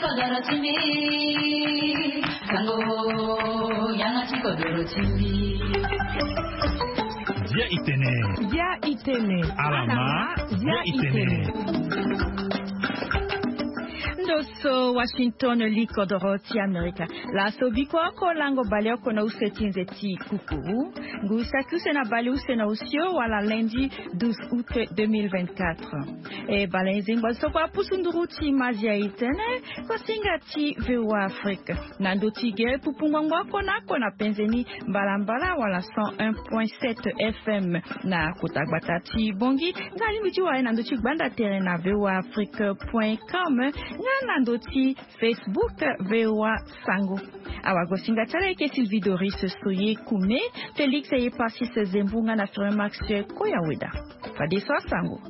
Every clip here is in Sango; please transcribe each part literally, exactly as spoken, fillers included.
Kodoro ti mbi, sango, yanga ti kodoro ti mbi. Bia itene. Bia itene. Alama, bia itene. Ndo so Washington, li kodoro ti Amerika. Laso biko oko lango baleoko na use ti nze ti kukuru. Ngu saki use na baleuse na osio wala lundi douze août deux mille vingt-quatre. E baleuse ngbazo so kua pusu nduru ti mazi a itene. Kosinga ti VOA Afrique na ndo ti gere pupu ngbangba oko na oko na penze ni mbalambala wala cent un point sept F M na kota gbata ti Bongi. Nga lingbi ti wara na ndo ti gbanda tere na VOA Afrique point com nga na ndo ti Facebook VOA Sango. Awagosinga ti ala eke Sylvie Doris Soye Kume, Félix Eyeparsis Zembu nga na Firmax Koyaweda. Fadeso asango.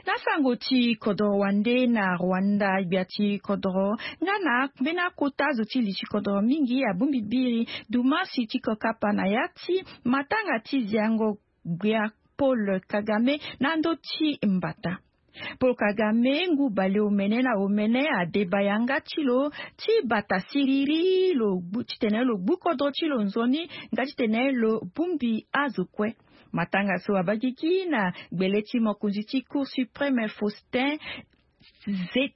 Na sango ti kodoro wande na Rwanda, gbia ti kodoro nga na mbeni akota azo ti li ti kodoro mingi abongbi biri dumarsi ti kokapa na ya ti matanga ti ziango gbia Paul Kagame na ndo ti mbata. Paul Kagame ngu baleomene na omene adeba yanga ti lo ti bata siriri lo gbu titene lo gbu kodro ti lo nzoni nga titene lo bongbi azo kue. Matanga so abagiki na gbele ti mokonzi ti Cour suprême Faustin Ze-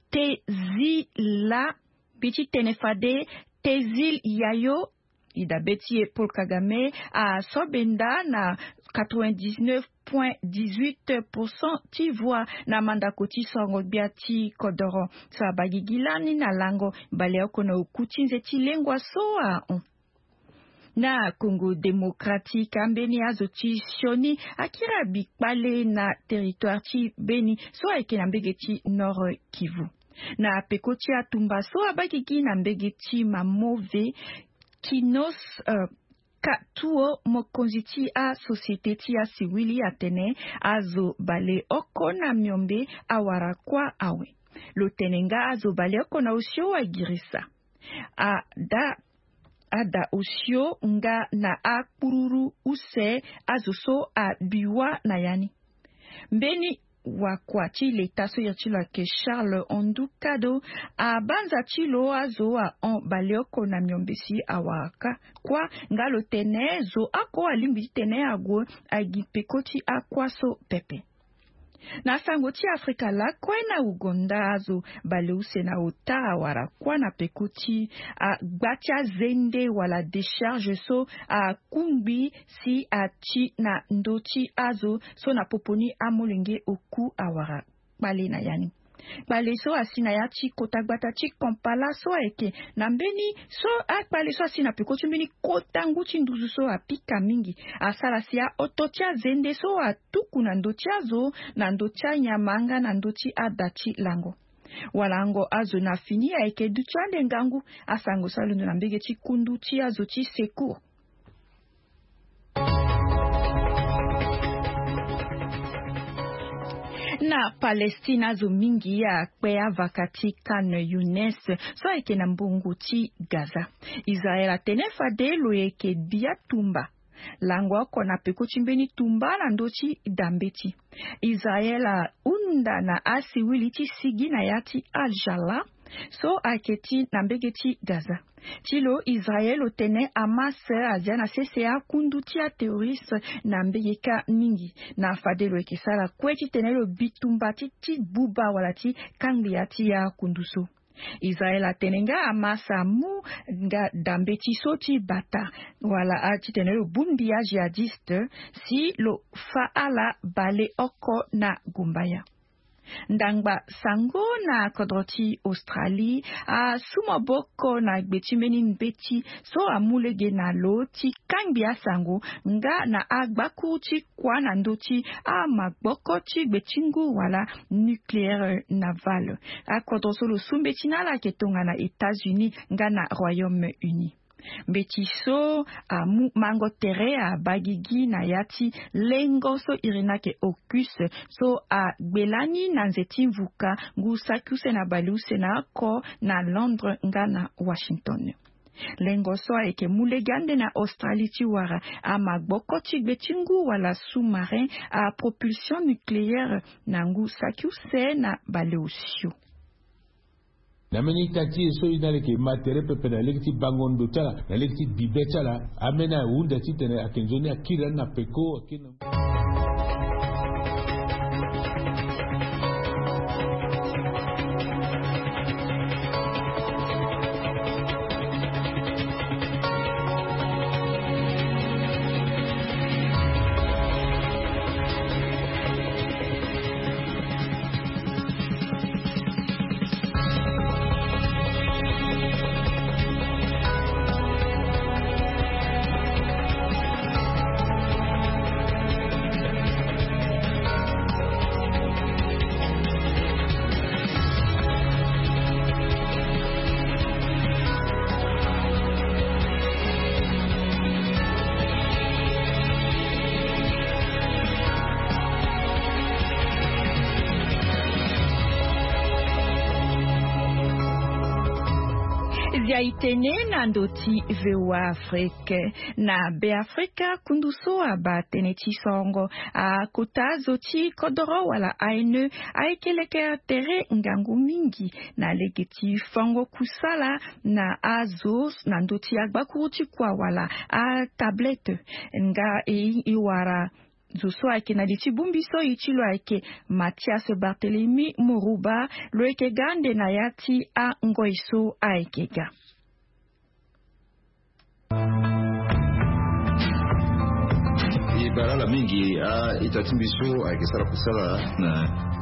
Tezila, mbi ti tene fade Tezil Yayo. Ida be ti e Paul Kagame asobe nda na quatre-vingt-dix-neuf point dix-huit pour cent ti voix na mandako ti sorongo gbia ti kodoro so abagigi lani na lango baleoko na oku ti nze ti lengua so ahon. Na Congo Démocratique, ambeni azo ti sioni akiri abi kpale na territoire ti Beni so ayeke na mbege ti Nord Kivu. Na peko ti atumba so abagigi na mbege ti Mamove, Kinos, euh, Katuo, mokonzi ti asociété ti asiwili atene azo baleoko na miombe awara kuâ awe. Lo tene nga azo baleoko na osio agirisa. Ada, ada osio nga na akpururu use azo so abi wâ na ya ni. Mbeni wakua ti leta so iri ti lo ayeke Charles Ondukado, abanza ti lo azo ahon baleoko na miombe si awara kuâ nga lo tene zo oko alingbi ti tene ague agi peko ti akuâ so pepe. Na sango ti Afrika lakue na Ouganda azo baleuse na ota awara kuâ na peko ti agba ti azende wala décharge so akungbi si ati na ndö ti azo so na popo ni amolenge oku awara kpale na ya ni. Kpale so asi na ya ti kota gbata ti Kampala so ayeke na mbeni so akpale so asi na peko ti mbeni kota ngu ti nduzu so apika mingi asara si ahoto ti azende so atuku na ndö ti azo na ndö ti anyama nga na ndö ti ada ti lango. Walango azo na fini ayeke duti ande ngangu. Asango so alondo na mbege ti kundu ti azo ti secours. Na Palestine azo mingi akpe avaka ti Khan Younes so ayeke na mbongo ti Gaza. Israel atene fade lo yeke bia tumba lango oko na peko ti mbeni tumba na ndö ti dambeti. Israel ahunda na asiwili ti sigi na ya ti Al Jala so ayeke ti na mbege ti Gaza. Ti lo Israel lo tene Hamas azia na sese akundu ti aterroriste na mbege kâ mingi na fade lo yeke sara kue titene lo bi tumba ti ti buba wala ti kangbi ya ti akundu so. Israel atene nga Hamas amu nga dambeti so ti bata wala a titene lo bongbi ajihadiste si lo fa ala baleoko na gumbaya. Ndangba sango na kodro ti Australie asu maboko na gbe ti mbeni mbeti so amu lege na lo ti kangbi asango nga na agbakuru ti kuâ na ndö ti amaboko ti gbe ti ngu wala nucléaire naval. Akodro so lo su mbeti na ala ayeke tongana États-Unis nga na Royaume-Uni. Mbeti so amu mango tere abagigi na ya ti lengo so iri ni ayeke AUKUS so agbe lani na nze ti mvuka ngu saki use na baleuse na oko na Londres nga na Washington. Lengo so ayeke mu lege ande na Australie ti wara amagboko ti gbe ti ngu wala sous-marin à propulsion nucléaire na ngu saki use na baleosio. Na mbeni ita ti e so e na leke ma tere pepe na lege ti bango ndo ti ala na lege ti bibe ti ala. Ambeni ahunda titene ayeke nzoni akiri ani na peko akiri na Zia itene na ndo ti V O A Afrique. Na Beafrika, kundu so abaa tënë ti sorongo akota zo ti kodoro wala A N E ayeke leke tere ngangu mingi na lege ti fango kusala na azo na ndö ti agbakuru ti kua wala atablette. Nga e, e wara zo so ayeke na li ti bongbi so e ti lo ayeke Mathias Barthélemy Morouba, lo yeke ga ande na ya ti angoi so ayeke ga. E bara ala mingi a-ita ti mbi so ayeke sara kusala na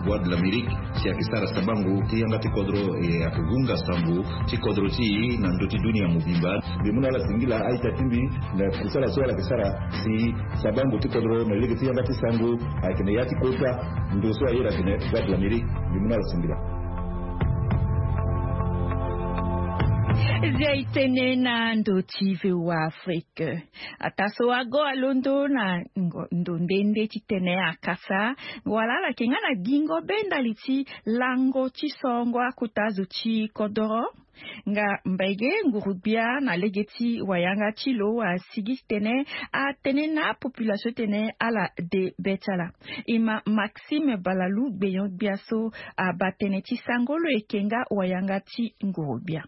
Voix de l'Amérique, si ayeke sara sabango ti yanga ti kodro, e ayeke hunga sango ti kodro ti e na ndö ti dunia mobimba. Mbi mu na ala singila a-ita ti mbi na kusala so ala yeke sara si sabango ti kodro na lege ti yanga ti sango ayeke na ya ti kota ndo so ayeda atene Voix de l'Amérique. Mbi mu na ala singila. Zia itene na ndo ti V O A Afrique. Ataa so ago alondo na ngo-, ndo nde nde titene akasa wala ala yeke nga na gingo be ndali ti lango ti sorongo akota zo ti kodoro. Nga mbege nguru-gbia na lege ti wayanga ti lo asigi titene atene na apopulation titene ala de be ti ala. E ma Maxime Balalou, gbenyo-gbia so abaa tënë ti sango, lo yeke nga wayanga ti nguru-gbia.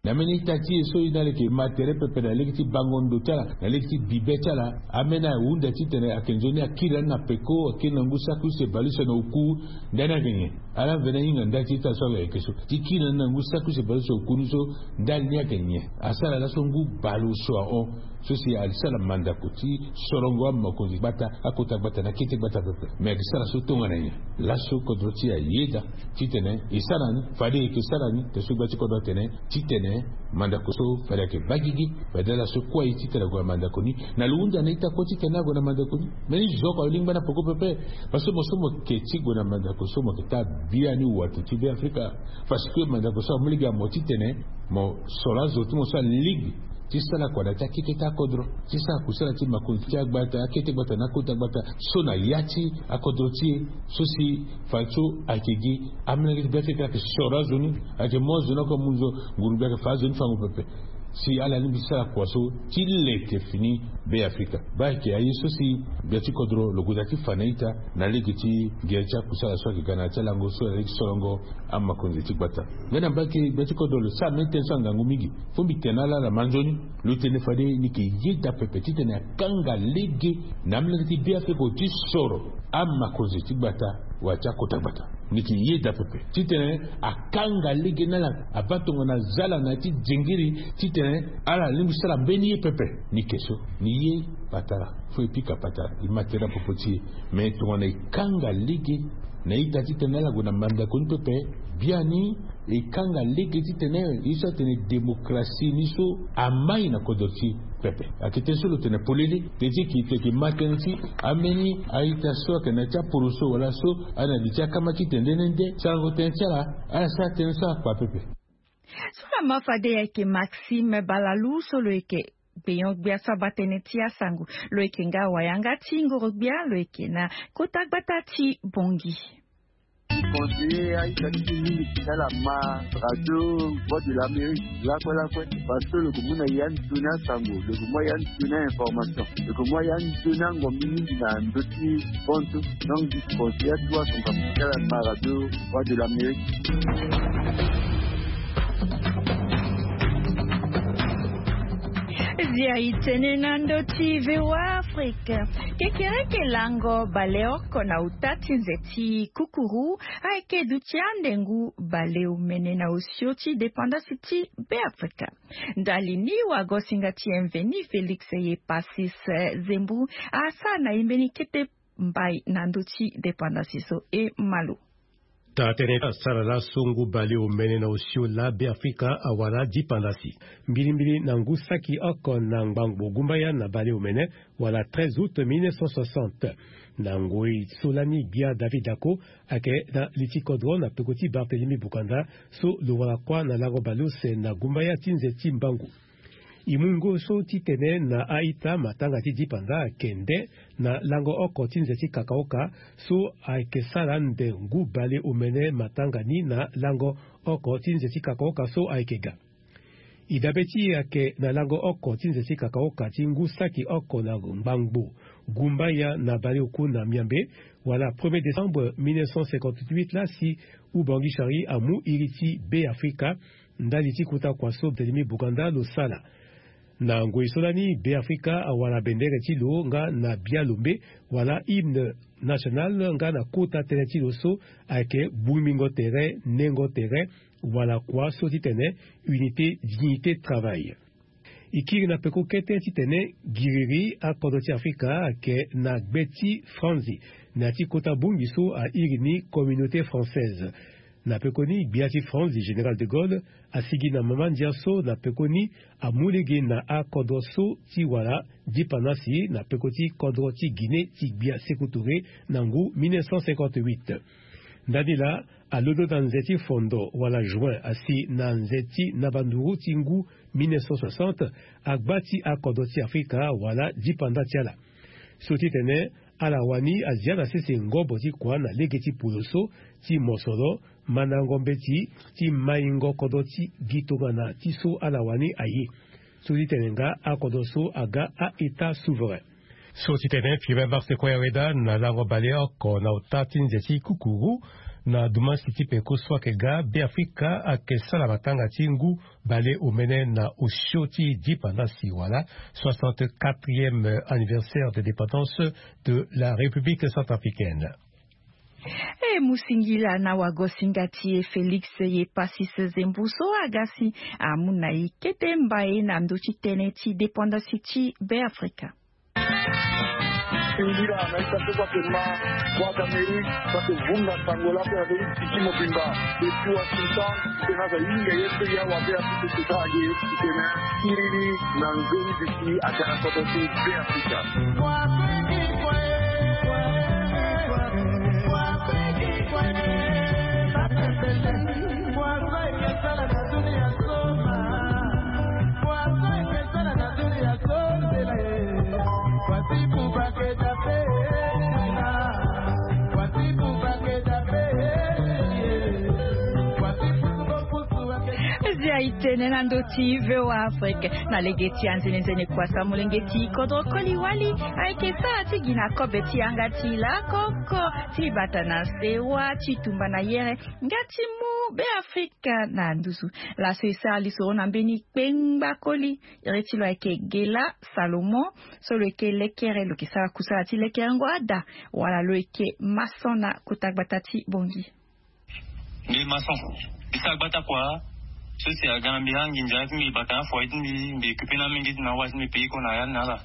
Na mbeni ita ti e so e na leke ma tere pepe na lege ti bango ndo ti ala na lege ti bibe ti ala, ambeni ahunda titene ayeke nzoni akiri ani na peko, akiri na ngu saki use baleuse na oku. Ndani ayeke nyen? Ala mveni ahinga nda ti ita so ayeke so ti kiri na ni na ngu saki use baleuse na oku ni so. Ndani ni ayeke nyen? Asara laso ngu baleuse ahon so si asara mandako ti sorongo amakonzi gbata, akota gbata na akete gbata pepe. Me ayeke sara so tongana nyen? Laso kodro ti e ayeda titene e sara ni, fade e yeke sara ni. Te so gbia ti kodro atene titene mandako so fade ayeke baa gigi, fade ala so kue aye titene ague na mandako ni. Na lo hunda na ita kue titene ague na mandako ni. Mbeni zo oko alingbi ana peko pepe. Parce que mo so mo yeke ti gue na mandako so mo yeke taa biani wato ti Beafrika. Parce que mandako so amu lege na mo titene mo soro azo ti mo so alingbi ti sara kua na ya ti akete ti akodro, ti sara kusala ti makonzi ti agbata, akete gbata na akota gbata so na ya ti akodro ti e. So si fadeso ayeke gi amolenge ti Beafrika ayeke soro azo ni, ayeke mu azo ni oko amu nzo nguru-gbia ayeke fa azo ni fango pepe. Si ala lingbi ti sara kua so ti leke fini Beafrika. Baa ayeke aye so si gbia ti kodro lo gue daa ti fa na ita na lege ti gi ya ti akusala so ayeke ga na ya ti alango so na lege ti sorongo amakonzi ti gbata. Ngai na mbage gbia ti kodro lo sara mbeni tënë so angangu mingi. Fo mbi tene na ala na manzoni, lo tene fade ni yeke yeda pepe titene akanga lege na amolenge ti Beafrika ti soro amakonzi ti gbata wala ti akota gbata. Ni yeke yeda pepe titene akanga lege na ala, abaa tongana zala na ya ti zengiri titene ala lingbi sara mbeni ye pepe. Ni yeke so, ni ye patara. Fo e pika patara, e ma tere na popo ti e. Me tongana e kanga lege na ita titene ala gue na mandako ni pepe, biani e kanga lege titene ye so atene démocratie ni so amai na kodro ti e pepe. Ayeke tënë so lo tene polele. Tënë ti e yeke, e yeke ma tënë ti ambeni a-ita so ayeke na ya ti aporoso wala so aye na li ti akama ti tene nde nde nde. Sarango tënë ti ala, ala sara tënë so akpa pepe. So laa ma fade ayeke Maxime Balalou so lo yeke gbenyo-gbia so abaa tënë ti asango. Lo yeke nga wayanga ti nguru-gbia, lo yeke na kota gbata ti Bangui. Conseiller aita ti mingi ti ala ma radio Voix de l'Amérique lakue lakue. Parce que lo ko mu na ya ni tuni asango, lo ko mu ya ni tuni a-information, lo ko mu ya ni tuni angombi mingi na ndö ti fontu. Donc disi conseiller atuwa son kapu ti ala ma radio Voix de l'Amérique. Zia itene na ndö ti VOA Afrique. Kekereke lango baleoko na uta ti nze ti kukuru ayeke duti ande ngu baleomene na osio ti dépendance ti Beafrika. Ndali ni wagosinga ti M V ni Félix Yepasis Zembu asara na ye mbeni kete mbai na ndö ti dépendance so e malo. Taa tënë ti asara laso ngu baleomene na osio laa Beafrika awara dipandasi. Mbilimbili na ngu saki oko na ngbangbo gumbaya na baleomene wala treize août mille neuf cent soixante. Na ngoi so lani gbia David Dacko ayeke na li ti kodro na peko ti Barthélemy Bukanda so lo wara kuâ na lango baleuse na gumbaya ti nze ti mbangu. E mu ngu so titene na a-ita matanga ti dipanda ayeke nde na lango oko ti nze ti kakaoka so ayeke sara nde ngu baleomene matanga ni na lango oko ti nze ti kakaoka so ayeke ga. E dabe ti e ayeke na lango oko ti nze ti kakaoka ti ngu saki oko na ngbangbo gumbaya na baleoku na miambe wala premier décembre mille neuf cent cinquante-huit laa si Ubangui Charlie amu iri ti Beafrika ndali ti kota kua so Barthélemy Bukanda lo sala. Na ngoi so lani Beafrika awara bendere ti lo nga na bialombe wala hymne national nga na kota tënë ti lo so ayeke bungbingo tere, nengo tere, wala kua so titene unité, dignité, travail. E kiri na peko kete titene giriri akodro ti Afrika ayeke na gbe ti franzi na ya ti kota bongbi so airi ni Communauté française. Na pekoni gbia ti France, général de Gaulle, asigi na mama ndia so na pekoni amu lege na akodro so ti wara dipandasi na peko ti kodro ti Guinée ti gbia Sékou Touré na ngu mille neuf cent cinquante-huit. Ndani laa alondo na nze ti fondo wala juin asi na nze ti nabanduru ti ngu mille neuf cent soixante, agba ti akodro ti Afrika wala dipanda ti ala. So titene ala wani azia na sese ngobo ti kua na lege ti polo so ti mosoro, mandango mbeti ti maingo kodro ti gi tongana ti so ala wani aye. So ti tene nga akodro so aga a-État souverain. So ti tene premier mars kue ayeda na lango baleoko na ota ti nze ti kukuru, na dumasi ti peko so ayeke ga, Beafrika ayeke sara matanga ti ngu baleomene na osio ti dipandasi wala soixante-quatrième anniversaire de dépendance de la République centrafricaine. E mu singila na wagosinga ti e Félix Yepasis Zembu so aga si amu na e kete mbai na ndö ti tënë ti dépendance ti Beafrika. Singila na ita so kue ayeke ma Voix d'Amérique so ayeke vunga sango laa mpe na ndö ti tiki mobimba. Depuis Washington, titene aza hinga ye mpe ya wabe apepe kota age titene kiriri na nzoni bisi aga na kodro ti Beafrika. Zia itene na ndö ti VOA Afrique. Na lege ti anzenenzene kua sa molenge ti kodro koli wali ayeke sara ti gi na kobe ti yanga ti lakoko ti bata na sewa ti tumba na yere nga ti mu Beafrika na nduzu. Laso e sara lisoro na mbeni kpengba koli. Iri ti lo ayeke Gela Salomon so lo yeke lekere, lo yeke sara kusala ti lekerengo ada wala lo yeke maçon na kota gbata ti Bangui. Mbi maçon. Mbi sara gbata kua so si aga na mbi anginza ti mbi bata na afoye ti mbi, mbi occupé na mingi ti na wa ti mbi pays ko na ya ni na ala.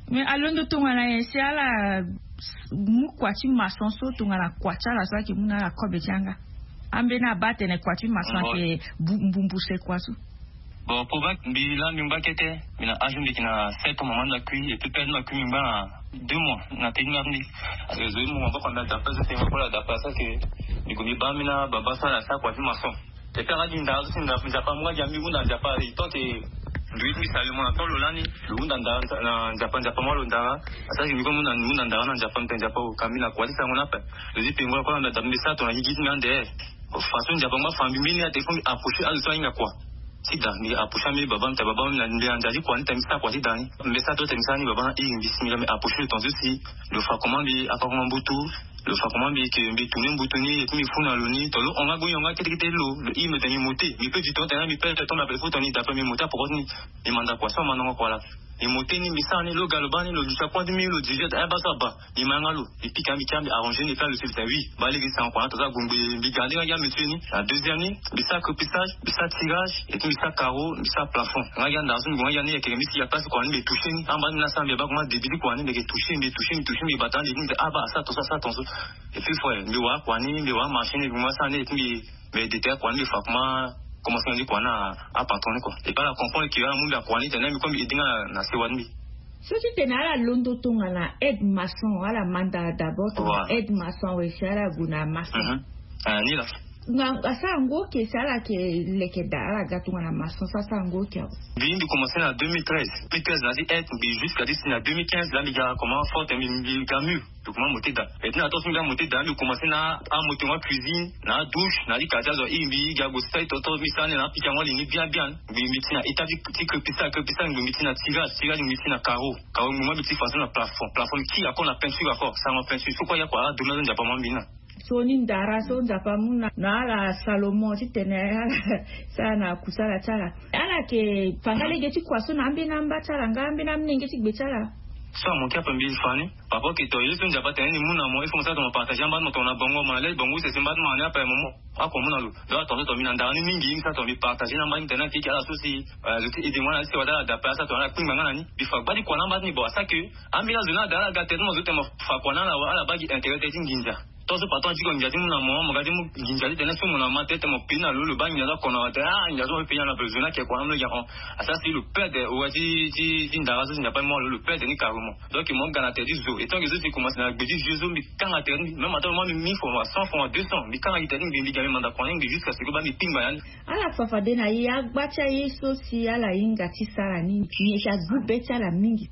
Mais alondo tongana nyen si ala mu kua ti maçon so tongana kua ti ala so ayeke mu na ala kobe ti yanga? Ambeni abaa atene kua ti maçon ayeke bu- mbumbuse kua so. Bon, pour vrai, mbi laa mbi ngba kete, mbi na âge mbi yeke na sept ans, mama mbi akui, et puis père mbi akui mbi ngba na deux mois na tënë ti mbi. Parce que zo ye mu maboko na mbi adapa, zo tene maboko adapa, ça que mbi gue mbi baa mbi na baba so ala sara kua ti maçon. Et puis aga gi ndaa so si ndaa Nzapa amu nga gi na mbi, mu ndaa Nzapa, il tente. Ndui ti mbi sali mo na tolo lani. Lo hunda ndara na nzapa nzapa mo lo ndara. Asara si mbi ko munda munda ndara na nzapa mbi tene nzapa o ka mbi na kua ti sango ni ape. Lo zi pengo la kua na mbi ata mbi sa tongana gigi ti mbi ande. Façon nzapa mo afa mbi mbeni ate fo mbi approcher azo so ahinga kua. Ti da mbi approcher ambi baba mbi tene baba mbi na mbi na nza ti kua ni tene mbi sa kua ti da ni. Mbi sa to tene mbi sa ni baba na iri mbi si mbi la mbi approcher lo tonga so si lo fa comment mbi akua comment mbutu. Lo fa comment mbi ke mbi tourner mbutu ni et puis mbi fu na lo ni to lo hon nga goni hon nga kete kete lo. Lo iri mbi tene mbi mote mbi pe du temps tene mbi pe to mbi apele fo tongana ni da pe mbi mote apoko ti ni. Mbi manda kua so amandango kua la. Mbi mote ni mbi sara ni lo ga lo baa ni lo duti akua ti mbi lo duti ata aba so aba. Mbi ma yanga lo. Mbi pika mbi kia mbi arranger ni e ka lo si lo tene oui. Baa lege sango kua na to so agongbe mbi ga nde nga gi amétier ni. Na deuxième ni mbi sara crépissage mbi sara tirage et puis mbi sara carreau mbi sara plafond nga gi andara so mbi gue nga gi ande yeke mbi si ya place kua ni mbi toucher ni amba ni na sara mbi aba comment début ti kua ni mbi yeke toucher mbi toucher mbi toucher mbi bata ande ni mbi tene aba asara tongaso asara tongaso. Et puis frère mbi wara kua ni mbi wara marché ni mbi mu asara ni et puis mbi mbi détailler kua ni mbi fa comment commencement ti kua na apatron ni kua. Et puis ala comprendre que ala mu mbi akua ni tene mbi kue mbi aidé nga na sewa ti mbi. So ti tene ala londo tongana aide maçon ala manda d'abord tongana aide maçon awe si ala gue na maçon. Ni la. Nga asara ngu oke si ala yeke leke daa ala ga tongana maçon so asara ngu oke awe. Mbi mbi commencer na deux mille treize. Deux mille treize na ti aide mbi jusqu'à ti si na deux mille quinze la mbi ga comment forte mbi mbi ga mur. Document mote daa. Et ti na to so mbi amote daa mbi commencer na amote ngo cuisine na adouche na ti quartier azo iri mbi ga gue sali toto mbi sara ni na apikango ali ni bien bien. Mbi mbi ti na état ti crépissage crépissage mbi mbi ti na tirage tirage mbi ti na carreau. Carreau mbi mbi ti façon na plafond plafond mbi kiri ako na peinture ako sango peinture so kue ya kua ala domi azo nzapa mo mbi na. So ni ndara so nzapa amu na ala salomon ti tene ala sara na kusala ti ala. Ala yeke fa nga lege ti kua so na ambeni amba ti ala nga ambeni amolenge ti gbe ti ala. So amoke ape mbi fa ni. Papa oke to ye so nzapa tene ni mu na mo il faut mo sara tongana partager amba ti mo tongana bongo mo na le bongo use si mba ti mo na ni ape mo mu ako mu na lo. Donc atonga so tongana mbi na ndara ni mingi mbi sara tongana mbi partager na amba ti mo tene na keke ala so si lo ti aidé mo na ala ti si wala ala dape asara tongana ala kpingba nga na ni mbi fa gba ti kua na amba ti ni bon asara ke. Ambeni azo ni ala daa ala ga tere ti mo zo tene mo fa kua na ala wa ala baa gi intérêt tere ti nginza. Tongaso patron ti ko nginza ti mu na mo mo ga ti mu nginza ti tene so mo na ma tere tene mo peni na lo lo baa nginza so akono awa tene ah nginza so mo pe peni na lo ape zo ni ake kua na mo lo gi ahon. Asara si lo perde owa ti ti ti ndara so si nzapa mo lo lo perde ni carrément. Donc mo ga na tere ti zo et tant que so si commence na gbe ti vieux so mbi kanga tere ni même ata mo mbi mille francs wala cent francs wala deux cents mbi kanga gi tere ni mbi mbi ga mbi manda kua ni mbi jusqu'à ce que baa mbi pingba ya ni. Ala fa fade na ye agba ti aye so si ala hinga ti sara ni ni eke agbu be ti ala mingi.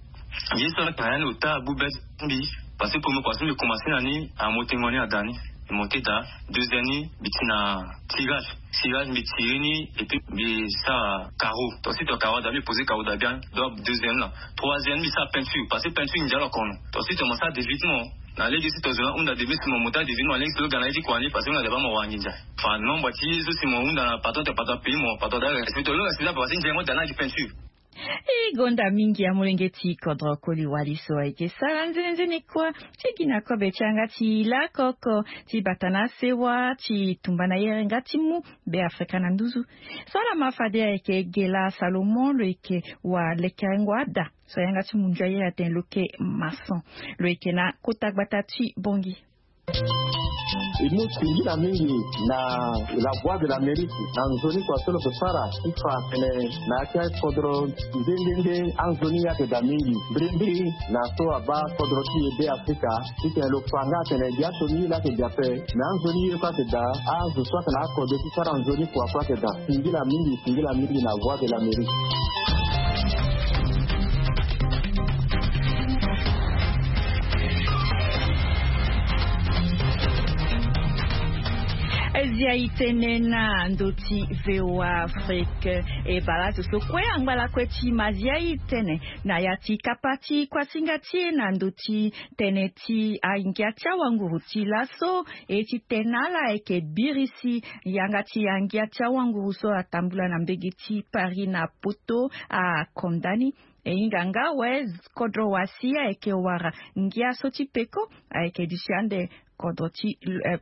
Ye so ala tara ya ni lo taa agbu be ti mbi. Parce que premier kua so mbi commencer na ni amotengo ni ada ni. Mbi monter daa. Deuxième ni mbi ti na tirage. Tirage mbi tirer ni et puis mbi sara carreau. Ensuite carreau ada mbi poser carreau daa bien. Donc deuxième la. Troisième mbi sara peinture parce que peinture ndia lo kono. Ensuite mo sara début ti mo. Na lege si tozona hunda début si mo mota début mo na lege si lo ga na ye ti kua ni parce que mo na deba mo wara nginza. Fa nombre ti ye so si mo hunda na patron te patron pays mo patron daa respect to lo respect daa parce que ndia mo daa na gi peinture. E gonda mingi ya molenge ti kodro koli wali so ayeke sara nzenenzene kua ti gi na kobe ti yanga ti lakoko ti bata na sewa ti tumba na yere nga ti mu be afrika na nduzu. So ala ma fade ayeke gela salomon lo yeke wa lekerengo ada. So yanga ti mundu ayere atene lo yeke maçon. Lo yeke na kota gbata ti bongi. E mu singila mingi na la voie de l'amérique na nzoni kua so lo ke sara ti fa atene na ya ti akodro nde nde nde anzoni ye ayeke daa mingi mbirimbiri na so abaa kodro ti e be afrika. Titene lo fa nga atene biaso ni ye laa ayeke daa ape. Me anzoni ye kue ayeke daa azo so ayeke na akode ti sara nzoni kua kue ayeke daa. Singila mingi singila mingi na voie de l'amérique. Zia itene na ndo ti voa afrique. E bala zo so kue angba lakue ti ma zia itene na ya ti kapa ti kuasinga ti e na ndo ti tene ti angia ti awanguru ti laso. E ti tene na ala ayeke birisi yanga ti angia ti awanguru so atambula na mbege ti paris na poto. Akondani e hinga nga awe. Kodro wasi ayeke wara ngia so ti peko ayeke duti ande kodro ti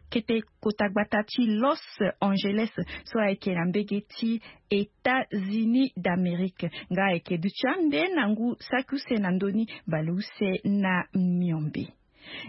kete kota gbata ti los angeles so ayeke na mbege ti états-unis d'amérique nga ayeke duti ande na ngu saki use na ndoni baleuse na miombe.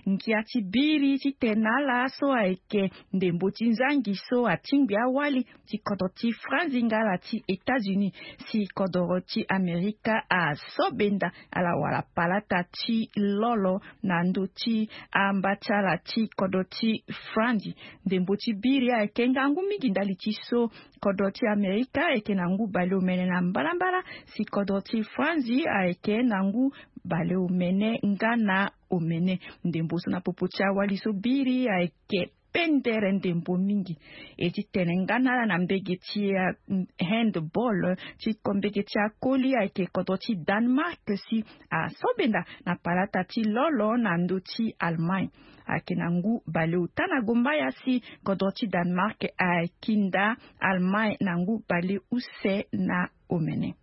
Ngia ti biri titene ala so ayeke ndembo ti nzangi so atingbi awali ti kodro ti Franzi nga ala ti États-Unis, si kodro ti Amerika asobenda ala wala palata ti lolo na ndö ti amba ti ala ti kodro ti Franzi. Ndembo ti biri ayeke ngangu mingi ndali ti so kodro ti Amerika ayeke na ngu baleomene na mbalambala, si kodro ti Franzi ayeke na ngu baleomene nga na omene. Ndembo so na popo ti awali so biri ayeke pendere ndembo mingi. E ti tene nga na ala na mbege ti handball ti ko mbege ti akoli ayeke kodro ti Danemark si asobenda na palata ti lolo na ndö ti Allemagne. Ayeke na ngu baleota na gombaya si kodro ti Danemark akinda Allemagne na ngu baleuse na omene.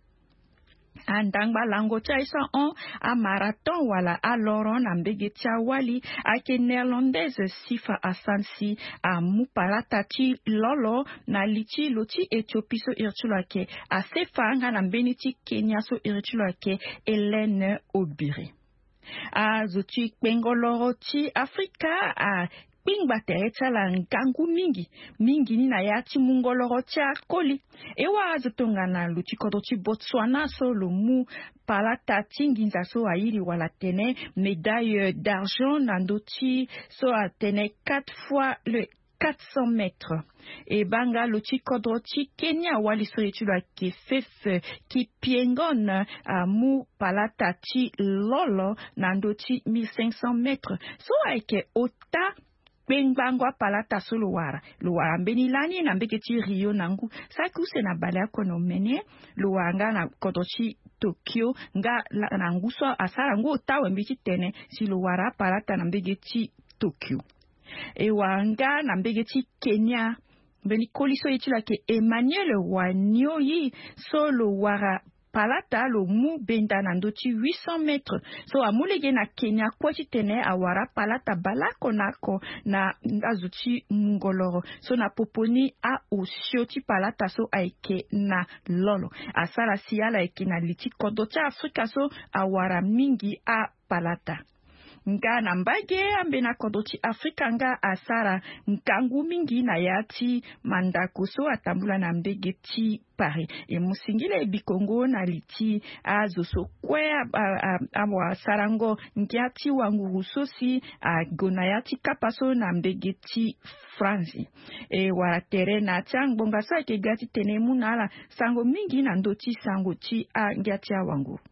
Andangba lango ti aye so ahon amarathon wala aloro na mbege ti awali ayeke néerlandaise Sifa Hassan si amu palata ti lolo na li ti lo ti Éthiopie so iri ti lo ayeke Asefa nga na mbeni ti Kenya so iri ti lo ayeke Hélène Obiri. Azo ti kpengo loro ti Afrika akpingba tere ti ala ngangu mingi, mingi ni na ya ti mungo loro ti akoli. E wara azo tongana lo ti kodro ti Botswana so lo mu palata ti nginza so airi wala tene médaille d'argent na ndö ti so atene quatre fois le quatre cents mètres. E baa nga lo ti kodro ti Kenya wali so ye ti lo ayeke Faith Kipyegon amu palata ti lolo na ndö ti mille cinq cents mètres so ayeke ota kpengbango apalata so lo wara. Lo wara mbeni lani na mbege ti Rio na ngu saki use na baleoko na omene. Lo wara nga na kodro ti Tokyo nga na ngu so asara ngu ota wembe titene si lo wara apalata na mbege ti Tokyo. E wara nga na mbege ti Kenya mbeni koli so ye ti lo ayeke Emmanuel Wanioi so lo wara palata lo mu benda na ndö ti huit cents mètres. So amu lege na Kenya kue titene awara palata baleoko na oko na azo ti mungo loro so na popo ni aosio ti palata so ayeke na lolo. Asara si ala yeke na li ti kodro ti Afrika so awara mingi apalata. Nga na mbage ambeni akodro ti Afrika nga asara ngangu mingi na ya ti mandako so atambula na mbege ti Paris. E mu singila e bikongo na li ti azo so kue awasarango ngia ti wanguru so si ague na ya ti kapa so na mbege ti Franzi. E wara tere na ya ti angbonga so ayeke ga titene e mu na ala sango mingi na ndö ti sango ti angia ti awanguru.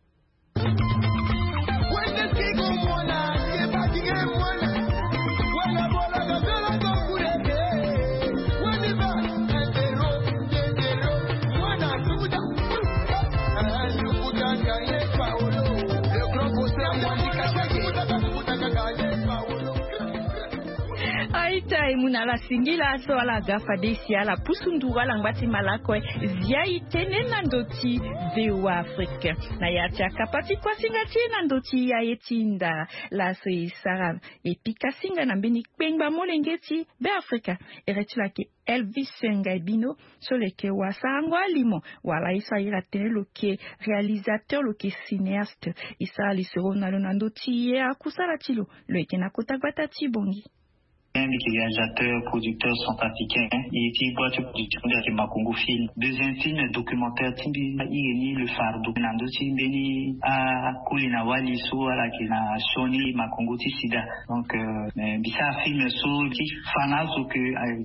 Aita e mu na ala singila so ala ga fade si ala pusu nduru ala ngba ti malako e zia e tene na ndö ti V O A Afrique. Na ya ti akapa ti kuasinga ti e na ndö ti aye ti nda laso e sara e pika singa na mbeni kpengba molenge ti Beafrika. Ere ti lo ayeke Elvis Ngaibino so lo yeke wasarango alimo wala ye so aye la tene lo yeke réalisateur, lo yeke cinéaste. E sara lisoro na lo na ndö ti ye akusala ti lo. Lo yeke na kota gbata ti Bongi. Mbi yeke réalisateur, producteur centrafricain. E ti boi ti production mbi ayeke Makongo Film. Deuxième film documentaire ti mbi iri ni Le Fardeau na ndö ti mbeni akoli na wali so ala yeke na sioni makongo ti sida. Donc euh, mbi sara film so ti fa na azo ke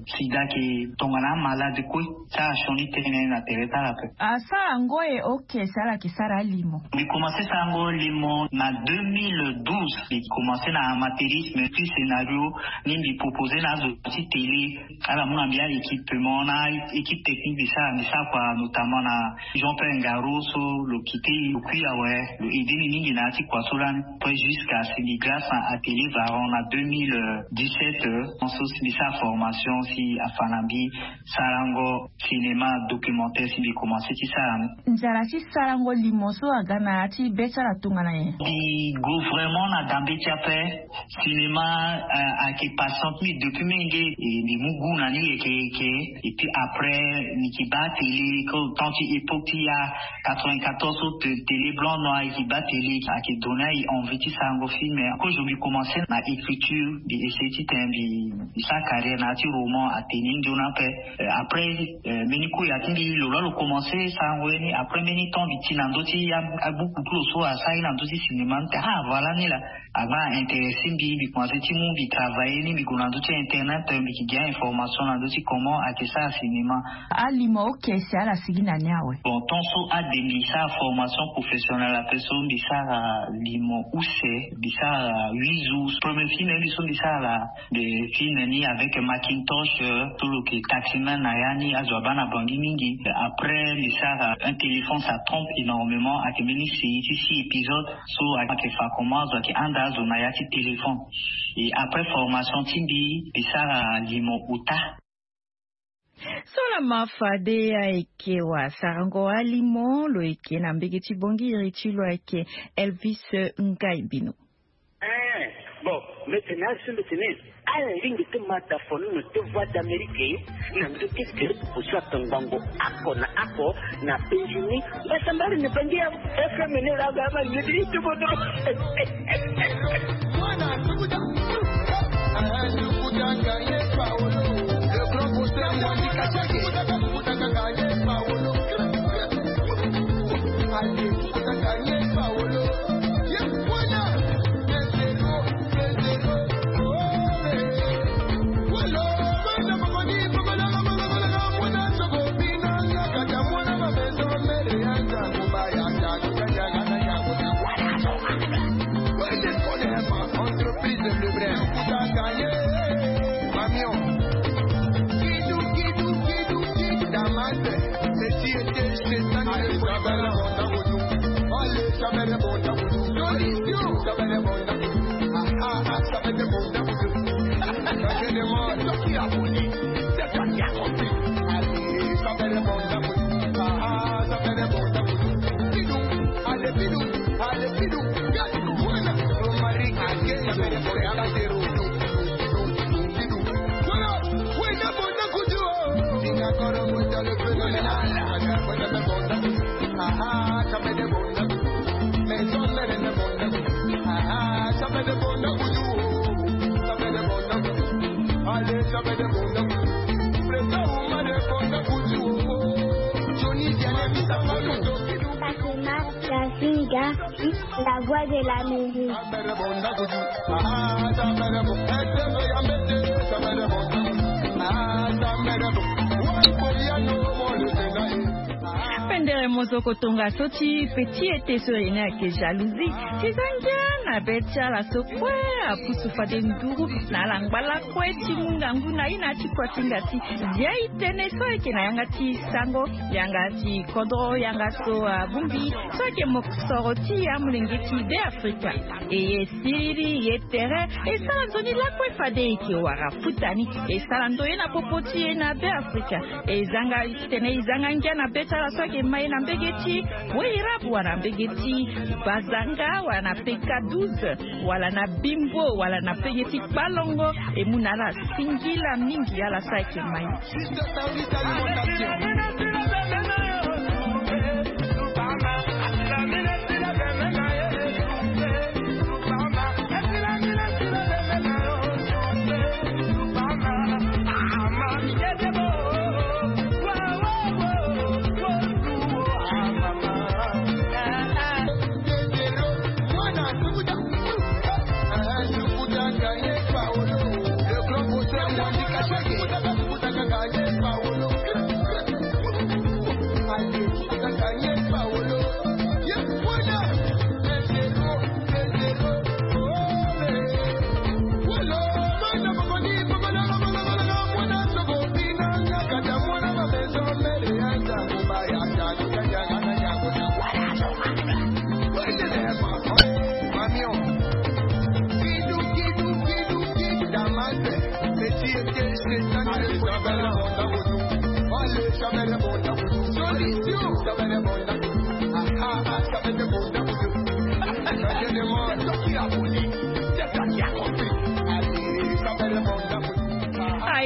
sida ayeke tongana amalade kue. Ti asara sioni tënë na tere ti ala ape. Asara yango e oke si ala yeke sara alimo. Mbi komanse sara yango limo na deux mille douze. Mbi komanse na amateurisme puis scénario ni mbi propose na azo ti télé ala mu na mbi a-équipement na équipe technique. Mbi sara mbi sara kua notamment na Jean Pierre Ngaro so lo kite e lo kui awe. Lo aide ni mingi na ya ti kua so lani. Après jusqu'à si mbi grâce na atelier Varon na deux mille dix-sept so si mbi sara formation si afa na mbi sarango cinéma documentaire si mbi komanse ti sara ni. Nzara ti sarango limo so aga na ya ti be ti ala tongana nyen? Mbi go vraiment na dambe ti ape. Cinéma ayeke pasa Donc mi depuis menge, e mbi mu gu na ni yeke yeke. Et puis après mi ki ba télé, comme tant ti époque ti ya quatre-vingt-quatorze so télé blanc noir, e ki ba télé, ayeke donné aye envie ti sarango film. Kozo mbi commencé na écriture, mbi essayer ti tene mbi sara carrière na ya ti roman, atene nzoni ape. Après mbeni koya ti mbi lo laa lo commencé sarango ye ni. Après mbeni temps mbi ti na ndö ti abuku ti lo so asara ye na ndö ti cinéma, mbi tene ah voilà ni laa. Agba intéressé mbi, mbi commencé ti mu mbi travailler ni, mbi gue na ndö ti internet, mbi ki gi a-information na ndö ti comment ayeke sara cinéma. Alimo oke si ala sigi na ni awe. Bon, tant so ade mbi sara formation professionnelle ape so mbi sara limo use, mbi sara huit jours. Premier film mbi so mbi sara la, mbi film ni avec Macintosh, so lo yeke taximan na ya ni, azo abaa na Bangui mingi. Après mbi sara Un téléphone ça trompe énormément, ayeke mbeni série ti six épisodes. So ayeke fa comment azo ayeke handa azo na ya ti téléphone. Et après formation ti mbi, mbi sara limo ota. So lama fade ayeke wara sarango alimo, lo yeke na mbege ti bongi iri ti lo ayeke Elvis Ngaibino. Eh, bon, mbi tene azo mbi tene ala lingbi ti ma dafo nono ti Voix d'Amérique na ndö ti groupe so ayeke ngbongo oko na oko na Benjini. Mbi sambari na Bangi ya F M ni la ga ma lidi ti bodo. Entreprise de Lebrun. Camion. Kidou, kidou, kidou, kidou, Damas. Messi était chez Stan. Allez, ça va la bonne. Allez, ça va la bonne. Solution. Ça va la bonne. Ah, ah, ah, ça va la bonne. Ça, je demande. C'est toi qui as voulu. C'est toi qui as compris. Allez, ça va la bonne. Ah, ah, ça va la bonne. Bidou. Allez, bidou. Allez, bidou. Romaric, Johnny Diane, Misa Polo. Fatima Yasinga, la voix de la musique. Pendere mozoko tongaso ti petit ete so ene ayeke jalousie. Ti za ngia na be ti ala so kue apusu fade nduru na ala ngba lakue ti mu ngangu na ye na ya ti kua ti ngati. Zia e tene so ayeke na yanga ti sango, yanga ti kodro, yanga so abongbi so ayeke mosoro ti amolenge ti Be Afrika. E ye siriri ye tere e sara nzoni lakue fade e yeke wara futa ni. E sara ndoye na popo ti e na Be Afrika. E zanga titene e zanga ngia na be ti ala so ayeke ma e na mbege ti Weyirabu wala na mbege ti Bazanga wala na P K douze wala na Bimbo wala na mbege ti Kpalongo. E mu na ala singila mingi ala so ayeke ma e.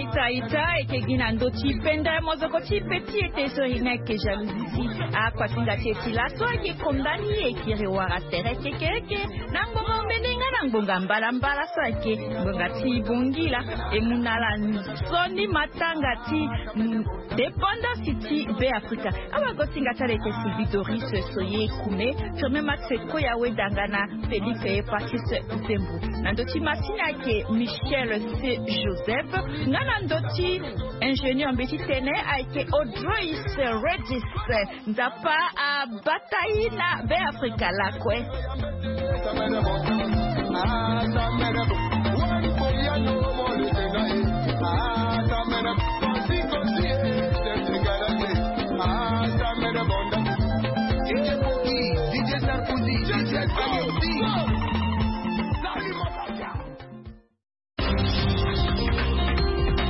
Ita ita eke gi na ndö ti penda mozoko ti pe ti ete so e nga eke jalousie ti akuasinga ti e ti laso ayeke konda ni e kiri wara tere kekereke. Na ngbonga omene nga na ngbonga mbalambala so ayeke ngbonga ti bongila e mu na ala nzoni matanga ti dépendance ti Beafrika. Awa gosinga ti ala eke Sylvie Doris Soye Kume, Firmin Max Koya Wedanga na Félix Hepatite Zembo. Na ndö ti masini ayeke Michel C Joseph. Nga na ndö ti ingénieur mbeti tene ayeke Audrois Regis. Nzapa abata ye na Beafrika lakue.